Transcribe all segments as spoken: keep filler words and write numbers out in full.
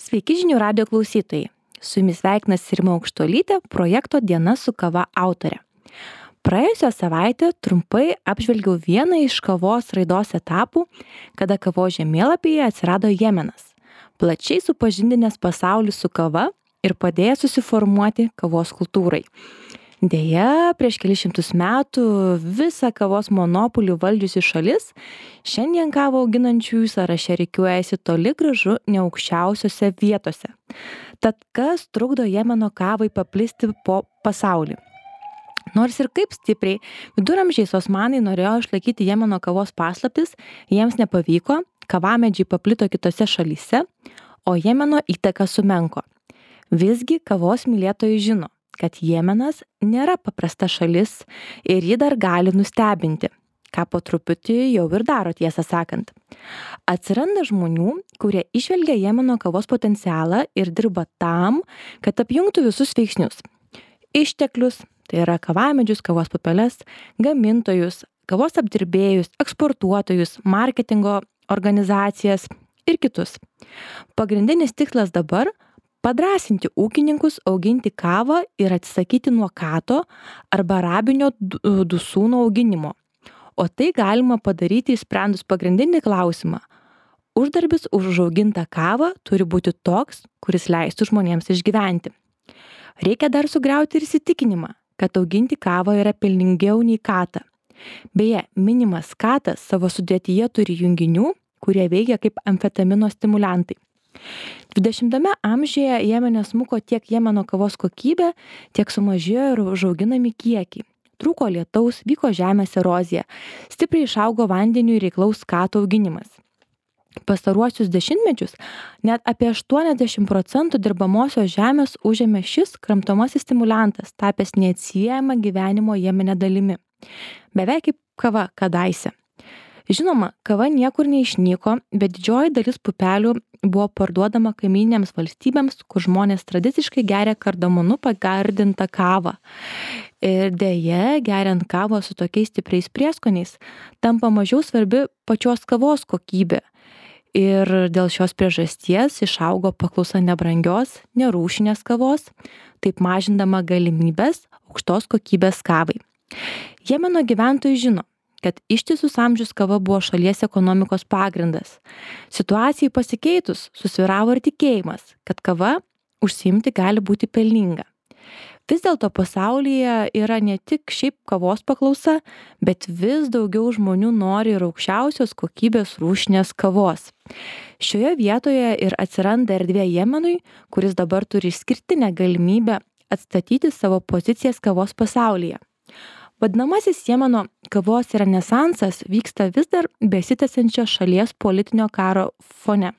Sveiki žinių radijo klausytojai. Su jumis sveikinasi Rima Aukštuolytė, projekto Diena su kava autorė. Praėjusią savaitę trumpai apžvelgiau vieną iš kavos raidos etapų, kada kavos žemėlapyje atsirado Jemenas, plačiai supažindinęs pasaulį su kava ir padėjęs susiformuoti kavos kultūrai. Deja, prieš kelis šimtus metų visą kavos monopolį valdžiusi šalis šiandien kavą auginančiųjų sąraše rikiuojasi toli gražu ne aukščiausiose vietose. Tad kas trukdo Jemeno kavai paplisti po pasaulį? Nors ir kaip stipriai viduramžiais osmanai norėjo išlaikyti Jemeno kavos paslaptis, jiems nepavyko, kavamedžiai paplito kitose šalyse, o Jemeno įtaka sumenko. Visgi kavos mylėtojai žino, kad Jemenas nėra paprasta šalis ir ji dar gali nustebinti, ką po truputį jau ir daro, tiesą sakant. Atsiranda žmonių, kurie išvelgia Jemeno kavos potencialą ir dirba tam, kad apjungtų visus veiksnius. Išteklius, tai yra kavamedžius, kavos pupeles, gamintojus, kavos apdirbėjus, eksportuotojus, marketingo organizacijas ir kitus. Pagrindinis tikslas dabar padrąsinti ūkininkus auginti kavą ir atsisakyti nuo kato arba arabinio dusūno auginimo. O tai galima padaryti išsprendus pagrindinį klausimą. Uždarbis už užaugintą kavą turi būti toks, kuris leistų žmonėms išgyventi. Reikia dar sugriauti ir įsitikinimą, kad auginti kavą yra pelningiau nei katą. Beje, minimas katas savo sudėtyje turi junginių, kurie veikia kaip amfetamino stimuliantai. dvidešimtame amžiuje Jemene smuko tiek Jemeno kavos kokybė, tiek sumažėjo ir užauginami kiekiai. Trūko lietaus, vyko žemės erozija, stipriai išaugo vandeniui reiklaus kato auginimas. Pastaruosius dešimtmečius net apie aštuoniasdešimt procentų dirbamosios žemės užėmė šis kramtomasis stimuliantas, tapęs neatsiejama gyvenimo Jemene dalimi. Beveik kaip kava kadaise. Žinoma, kava niekur neišnyko, bet didžioji dalis pupelių buvo parduodama kaimynėms valstybėms, kur žmonės tradiciškai geria kardamonu pagardintą kavą. Ir deja, geriant kavą su tokiais stipriais prieskoniais, tampa mažiau svarbi pačios kavos kokybė. Ir dėl šios priežasties išaugo paklausa nebrangios, nerūšinės kavos, taip mažindama galimybės aukštos kokybės kavai. Jemeno gyventojai žino, kad ištisus amžius kava buvo šalies ekonomikos pagrindas. Situacijai pasikeitus susvyravo ir tikėjimas, kad kava užsiimti gali būti pelninga. Vis dėlto pasaulyje yra ne tik šiaip kavos paklausa, bet vis daugiau žmonių nori ir aukščiausios kokybės rūšinės kavos. Šioje vietoje ir atsiranda erdvė Jemenui, kuris dabar turi išskirtinę galimybę atstatyti savo pozicijas kavos pasaulyje. Vadinamasis Jemeno kavos renesansas vyksta vis dar besitęsiančio šalies politinio karo fone.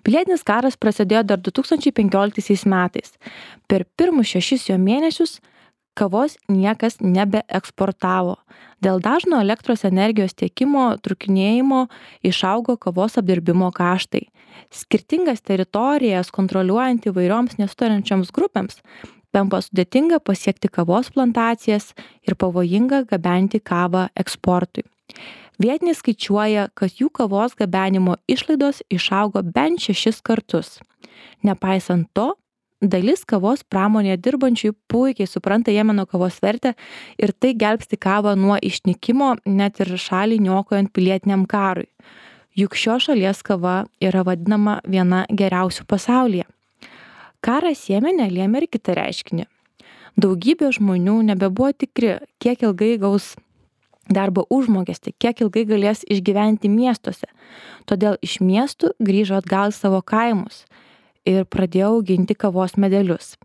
Pilietinis karas prasidėjo dar du tūkstančiai penkioliktaisiais metais. Per pirmus šešis jo mėnesius kavos niekas nebeeksportavo. Dėl dažno elektros energijos tiekimo trūkinėjimo išaugo kavos apdirbimo kaštai. Skirtingas teritorijas kontroliuojant įvairioms nesutarančioms grupėms tampa sudėtinga pasiekti kavos plantacijas ir pavojinga gabenti kavą eksportui. Vietiniai skaičiuoja, kad jų kavos gabenimo išlaidos išaugo bent šešis kartus. Nepaisant to, dalis kavos pramonėje dirbančiųjų puikiai supranta Jemeno kavos vertę ir tai gelbsti kavą nuo išnykimo net ir šalį niokojant pilietiniam karui. Juk šios šalies kava yra vadinama viena geriausių pasaulyje. Karas Jemene lėmė ir kitą reiškinį. Daugybė žmonių nebebuvo tikri, kiek ilgai gaus darbo užmokestį, kiek ilgai galės išgyventi miestuose. Todėl iš miestų grįžo atgal į savo kaimus ir pradėjo auginti kavos medelius.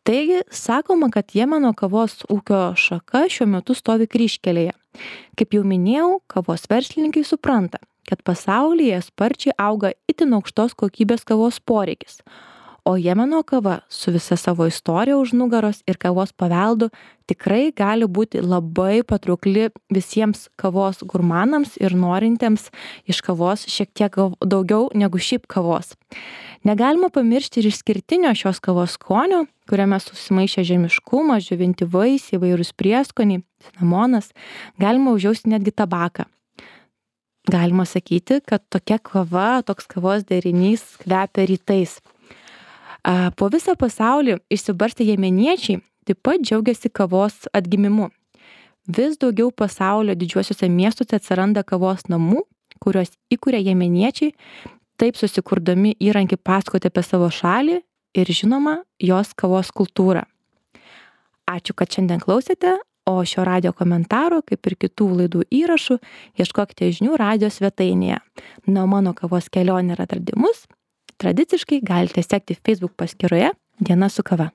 Taigi, sakoma, kad Jemeno kavos ūkio šaka šiuo metu stovi kryžkelėje. Kaip jau minėjau, kavos verslininkai supranta, kad pasaulyje sparčiai auga itin aukštos kokybės kavos poreikis. O Jemeno kava su visa savo istorija už nugaros ir kavos paveldu tikrai gali būti labai patraukli visiems kavos gurmanams ir norintiems iš kavos šiek tiek daugiau negu šiaip kavos. Negalima pamiršti ir išskirtinio šios kavos skonio, kuriame susimaišę žemiškumas, džiovinti vaisiai, įvairūs prieskoniai, cinamonas, galima užjausti netgi tabaką. galima sakyti, kad tokia kava, toks kavos derinys kvepia rytais. Po visą pasaulį išsibarstę jemeniečiai taip pat džiaugiasi kavos atgimimu. Vis daugiau pasaulio didžiuosiuose miestuose atsiranda kavos namų, kuriuos įkuria jemeniečiai, taip susikurdami įrankį pasakoti apie savo šalį ir žinoma jos kavos kultūrą. Ačiū, kad šiandien klausėte, o šio radijo komentaro, kaip ir kitų laidų įrašų, ieškokite žinių radijo svetainėje. Na, mano kavos kelionė ir atradimus tradiciškai galite sekti Facebook paskyroje Diena su kava.